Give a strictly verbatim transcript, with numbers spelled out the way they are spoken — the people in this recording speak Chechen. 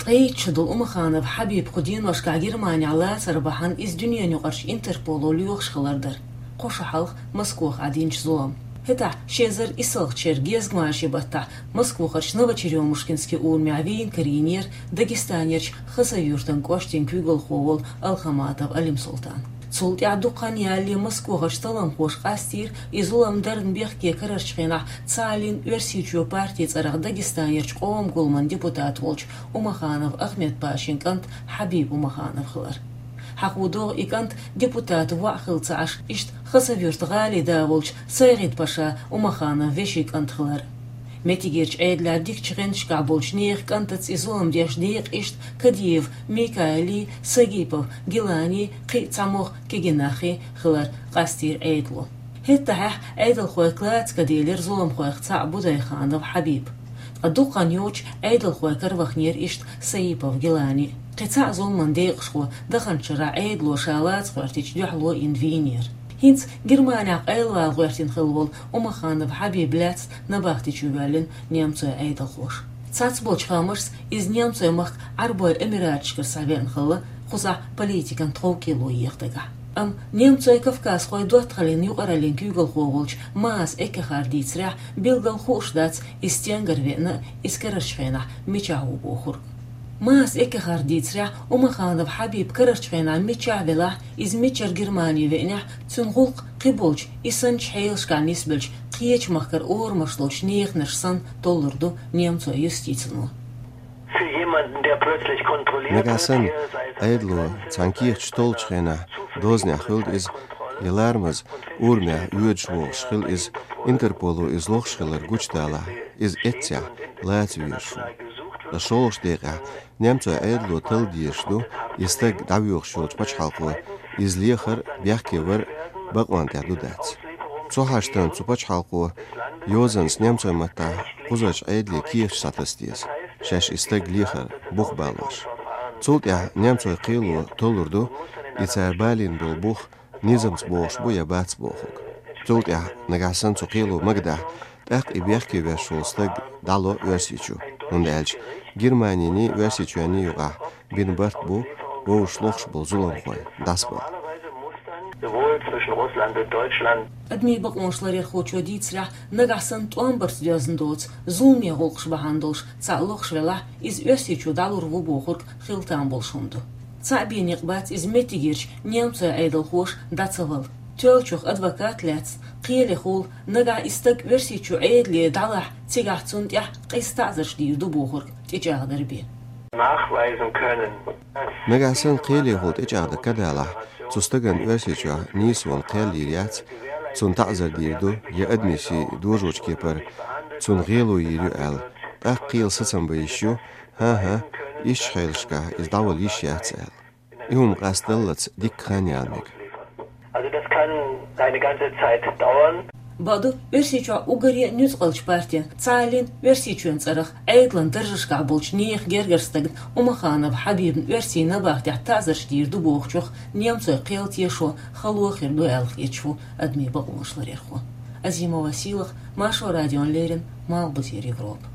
Ӏедалхо долу Умаханов Хьабиб кху деношкахь Германехь лацар бахьана иза дуьненаюкъарчу Интерполо лоьхуш хилар дара, кхо шо хьалха Москвахь динчу зуламан. ХӀетахь ши эзар исалгӀачеран гезгмашин баттахь Москвахарчу Новочерёмушкинский урамехь вийна карийнера Дагестанерчу Хасавюртан кӀоштан куьйгалхо волу Алхаматов Алим-Султан. Цул тӀаьхьа дукха хан ялале Москвахарчу талламхоша къастийра и зулам дарна бехке карарчу хенахь цхьааллин Оьрсийчоь партин цӀарах Дагестанерчу къоман гуламан депутат волчу Умаханов Ахмед-Пашин кӀант Хьабиб Умаханов хилар. Хьахо догӀу и кӀант депутат воӀ хилла ца Ӏаш, иштта Хасавюрт гӀалин да волчу Сайгӏид-Паша Умаханов вешин кӀант хилар. Меттигерчу Ӏедалехь дикачу гӀанташкахь болчу нехан кӀантаца и зулам деш декъашхой иштта Кадиев Микаилий, Сагипов Гиланий, кхин а цхьамогӀа кегий нахе хилар къастийра Ӏедало. ХӀетахь Ӏедалхой клаца каделира зуламхойх цхьаъ Будайханов Хьабиб. Ткъа дукха хан йоццуш Ӏедалхой кара ваханера иштта Саипов Гилани. Кхин цхьаъ зуламан декъашхо даханчу шарахь Ӏедало ша лаца гӀоьртича дуьхьало йина вийнера. ХӀинца Германехь къайлавала гӀоьртина хилла волу Умаханов Хьабиб лаьцна набахти чу воьллина немцойн Ӏедалхоша. Цхьацца болчу хаамашца иза немцойн махка Ӏарбойн Эмираташкара схьавеана хилла, кхузахь политикан тховкӀело еха дагахь. Амма немцойн-кавказхойн доттагӀаллин юкъараллин куьйгалхо волчу Маас Эккехарда дийцарехь, билггал хууш дац, иза стенгара веана а, иза карарчу хенахь мичахь ву бохург. Маас Эккехарда дийцарехь, Умаханов Хьабиб карарчу хенахь миччахь велахь, иза мичара Германи веанехь, цуьнан гӀуллакх кхиболчу, и санначу хьелашкахь нисбеллачу кхечу махкара орамаш долчу неханаш санна толлур ду немцойн юстицино. Für jemanden, der plötzlich kontrolliert Нагахь wird, санна, hier sei es Ӏедало цхьана кехаташ толлучу хенахь дозанехь хуьлда иза, я ларамаза урамехь воьдуш вогӀуш хила иза, Интерполо иза лохуш хилар гучудалахь, иза эццехь лаца везаш ву. Ткъа шолгӀачу декъехь немцойн Ӏедало талла дезаш ду, и стаг дӀавоьхуш йолчу пачхьалкхо иза лехар а, бехке вар а бакъонан тӀехь ду-дац. Цу хьаштана цу пачхьалкхо йозанца немцойн маттахь кхузарчу Ӏедале кехаташ схьатаса деза, шаьш и стаг лехар бух балош. Цул тӀаьхьа немцойн кхело толлур ду, и цара балийна болу бух низамца богӀуш бу я бац бохург. Цул тӀаьхьа, нагахь санна цу кхело магадахь, тӀаккха и бехке веш волу стаг дӀало Оьрсийчу, хӀунда аьлча Германиний, Оьрсийчоьнний юкъахь бина барт бу вовшашлохуш болу зуламхой дӀасабала. Sowohl zwischen Russland und Deutschland. Адамийн бакъонаш ларъярхочо дийцарехь, нагахь санна тӀом барца доьзна доцу зуламе гӀуллакхаш бахьана долуш цхьаъ лохуш велахь, иза Оьрсийчу дӀалур ву бохург хила там болуш хӀума ду. Цхьаъ бен некъ бац иза меттигерчу немцойн Ӏедалхоша дӀа ца вала. Тоьллачух адвокат лаьцна кхелехула, нагахь и стаг Оьрсийчу Ӏедале дӀалахь, цигахь цунна тӀехь къиза таӀзарш дийр ду бохург тӀечӀагӀдар бен. Nachweisen können. Нагахь санна кхелехула тӀечӀагӀдан ка далахь, цу стагана Оьрсийчохь нийсонан кхел йийр яц, цунна таӀзар дийр ду, я адамийн сий дожочу кепара цунна гӀело йийр ю аьлла. ТӀаккха кхелан сацам бан йиш ю, хӀан-хӀа, ишттачу хьелашкахь иза дӀавала йиш яц аьлла. И хӀума къастадаллалц дикка хан яла мега. Also das kann eine ganze Zeit dauern. Бакъду, Оьрсийчохь уггаре а нуьцкъалчу партин, цхьааллин Оьрсийчоьнан цӀарах Ӏедалан даржашкахь болчу нехан гергара стагана Умаханов Хьабибна оьрсийн набахтехь таӀзарш дийр ду бохучух немцойн кхел тешо хало хир ду аьлла хеташ ву адамийн бакъонаш ларъярхо. Азимова Сийлаха, Маршо радиона леррина, Малхбузера Европа.